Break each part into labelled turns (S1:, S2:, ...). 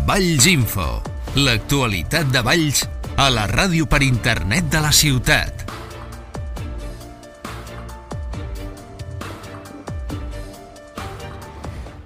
S1: Valls Info, l'actualitat de Valls a la ràdio per internet de la ciutat.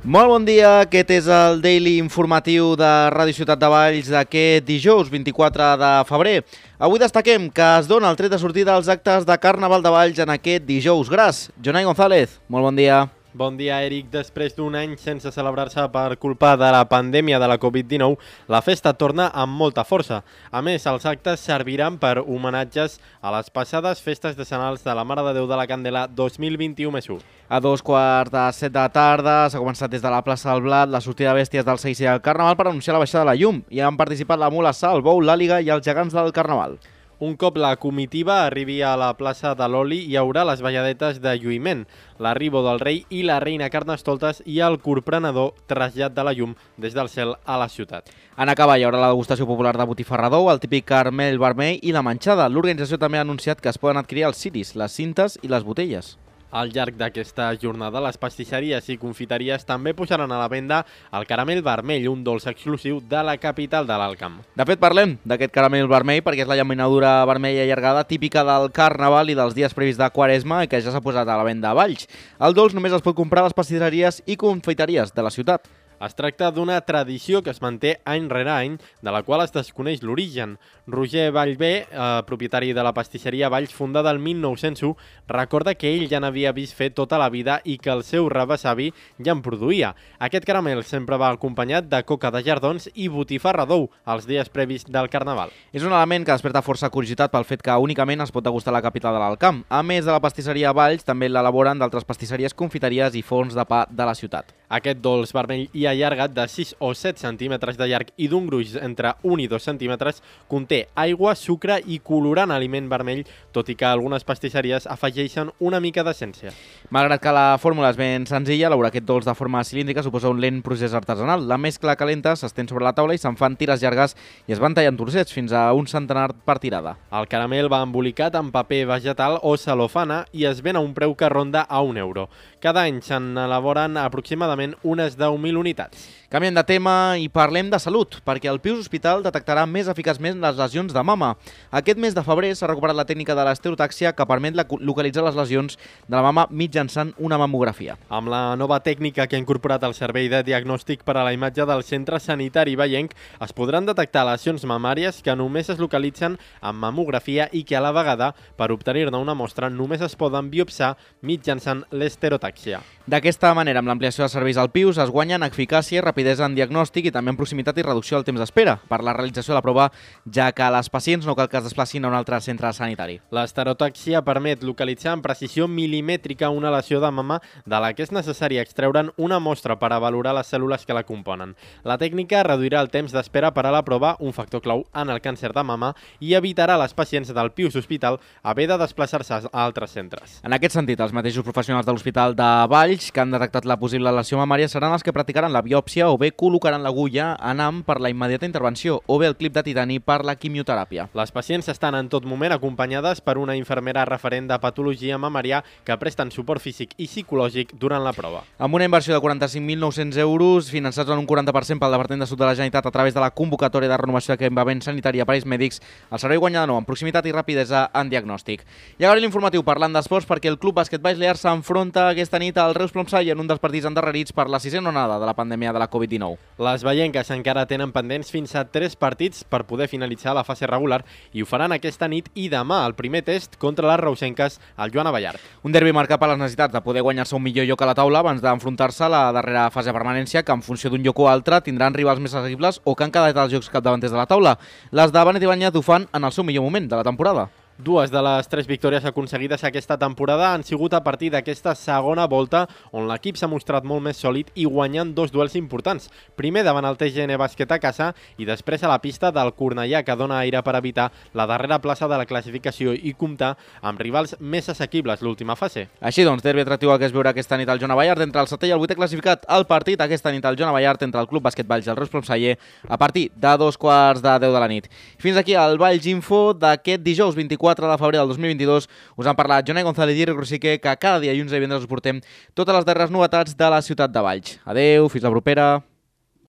S2: Molt bon dia, aquest és el Daily informatiu de Ràdio Ciutat de Valls d'aquest dijous 24 de febrer. Avui destaquem que es dona el tret de sortida als actes de Carnaval de Valls en aquest dijous gras. Jonai González, molt bon dia.
S3: Bon dia, Eric. Després d'un any sense celebrar-se per culpa de la pandèmia de la Covid-19, la festa torna amb molta força. A més, els actes serviran per homenatges a les passades festes decenals de la Mare de Déu de la Candela 2021+1.
S2: A 2:45 de la tarda s'ha començat des de la plaça del Blat la sortida de bèsties del Seguici del Carnaval per anunciar la baixada de la llum. Hi han participat la Mula Sal, el Bou, l'Àliga i els gegants del Carnaval.
S3: Un cop la comitiva arribi a la plaça de l'Oli, hi haurà les balladetes de lluïment, l'arribo del rei i la reina Carnestoltes i el corprenedor trasllat de la llum des del cel a la ciutat.
S2: En acabar hi haurà la degustació popular de botifarradou, el típic caramel vermell i la manxada. L'organització també ha anunciat que es poden adquirir els ciris, les cintes i les botelles.
S3: Al llarg d'aquesta jornada, les pastisseries i confiteries també posaran a la venda el caramel vermell, un dolç exclusiu de la capital de l'Alt Camp.
S2: De fet, parlem d'aquest caramel vermell perquè és la llaminadura vermella allargada típica del Carnaval i dels dies previs de Quaresma i que ja s'ha posat a la venda a Valls. El dolç només es pot comprar a les pastisseries i confiteries de la ciutat.
S3: Es tracta d'una tradició que es manté any rere any, de la qual es desconeix l'origen. Roger Vallvé, propietari de la pastisseria Valls, fundada el 1901, recorda que ell ja n'havia vist fer tota la vida i que el seu rebesavi ja en produïa. Aquest caramel sempre va acompanyat de coca de jardons i botifarradou els dies previs del Carnaval.
S2: És un element que desperta força curiositat pel fet que únicament es pot degustar a la capital de l'Alt Camp. A més de la pastisseria Valls, també l'elaboren d'altres pastisseries, confiteries i forns de pa de la ciutat.
S3: Aquest dolç vermell i allargat de 6 o 7 centímetres de llarg i d'un gruix entre 1 i 2 centímetres conté aigua, sucre i colorant aliment vermell, tot i que algunes pastisseries afegeixen una mica d'essència.
S2: Malgrat que la fórmula és ben senzilla, elaborar aquest dolç de forma cilíndrica suposa un lent procés artesanal. La mescla calenta s'estén sobre la taula i se'n fan tires llargues i es van tallant trossets fins a un centenar per tirada.
S3: El caramel va embolicat en paper vegetal o celofana i es ven a un preu que ronda a €1. Cada any se'n elaboren aproximadament unes 10.000 unitats.
S2: Canviem de tema i parlem de salut, perquè el Pius Hospital detectarà més eficaçment les lesions de mama. Aquest mes de febrer s'ha recuperat la tècnica de l'estereotàxia que permet localitzar les lesions de la mama mitjançant una mamografia.
S3: Amb la nova tècnica que ha incorporat el Servei de Diagnòstic per a la Imatge del Centre Sanitari Vallenc, es podran detectar lesions mamàries que només es localitzen amb mamografia i que a la vegada, per obtenir-ne una mostra, només es poden biopsar mitjançant l'estereotàxia.
S2: D'aquesta manera, amb l'ampliació de serveis al Pius, es guanyen eficàcia i rapidesa en diagnòstic i també en proximitat i reducció del temps d'espera per la realització de la prova, ja que les pacients no cal que es desplacin a un altre centre sanitari.
S3: L'estereotàxia permet localitzar amb precisió milimètrica una lesió de mama de la que és necessari extreure'n una mostra per a valorar les cèl·lules que la componen. La tècnica reduirà el temps d'espera per a la prova, un factor clau en el càncer de mama, i evitarà a les pacients del Pius Hospital haver de desplaçar-se a altres centres.
S2: En aquest sentit, els mateixos professionals de l'Hospital de Valls que han detectat la possible lesió mamària seran els que practicaran la biòpsia o bé col·locaran l'agulla anant per la immediata intervenció o bé el clip de titani per la quimioteràpia.
S3: Les pacients estan en tot moment acompanyades per una infermera referent de patologia mamària que presten suport físic i psicològic durant la prova.
S2: Amb una inversió de 45.900 euros, finançats en un 40% pel Departament de Salut de la Generalitat a través de la convocatòria de renovació d'equipament sanitari a aparells mèdics, el servei guanya de nou en proximitat i rapidesa en diagnòstic. I ara l'informatiu parlant d'esports perquè el Club Bàsquet Valls Lear s'enfronta aquesta nit al Reus Plomsall en un dels partits endarrerits per la 6a onada de la pandèmia de la Covid-19.
S3: Les vallenques encara tenen pendents fins a 3 partits per poder finalitzar la fase regular i ho faran aquesta nit i demà el primer test contra les reusenques al Joan Abellart.
S2: Un derbi marcat per les necessitats de poder guanyar-se un millor lloc a la taula abans d'enfrontar-se a la darrera fase de permanència que en funció d'un lloc o altre tindran rivals més accessibles o que han quedat als jocs capdavanters de la taula. Les de Benet Ibáñez ho fan en el seu millor moment de la temporada.
S3: Dues de les 3 victòries aconseguides aquesta temporada han sigut a partir d'aquesta segona volta on l'equip s'ha mostrat molt més sòlid i guanyant 2 duels importants. Primer davant el TGN Bàsquet a casa i després a la pista del Cornellà, que dona aire per evitar la darrera plaça de la classificació i comptar amb rivals més assequibles l'última fase.
S2: Així doncs, derbi atractiu el que es veurà aquesta nit al Joan Abellart entre el 7è i el 8è classificat. El partit aquesta nit al Joan Abellart entre el Club Bàsquet Valls i el Reus Plomsall a partir de 2:15 de la nit. Fins aquí el Valls Info d'aquest dijous 24 de febrer del 2022. Us han parlat Jonai González i Eric Rosique, que cada dia i uns divendres us portem totes les darreres novetats de la ciutat de Valls. Adeu, fins la propera.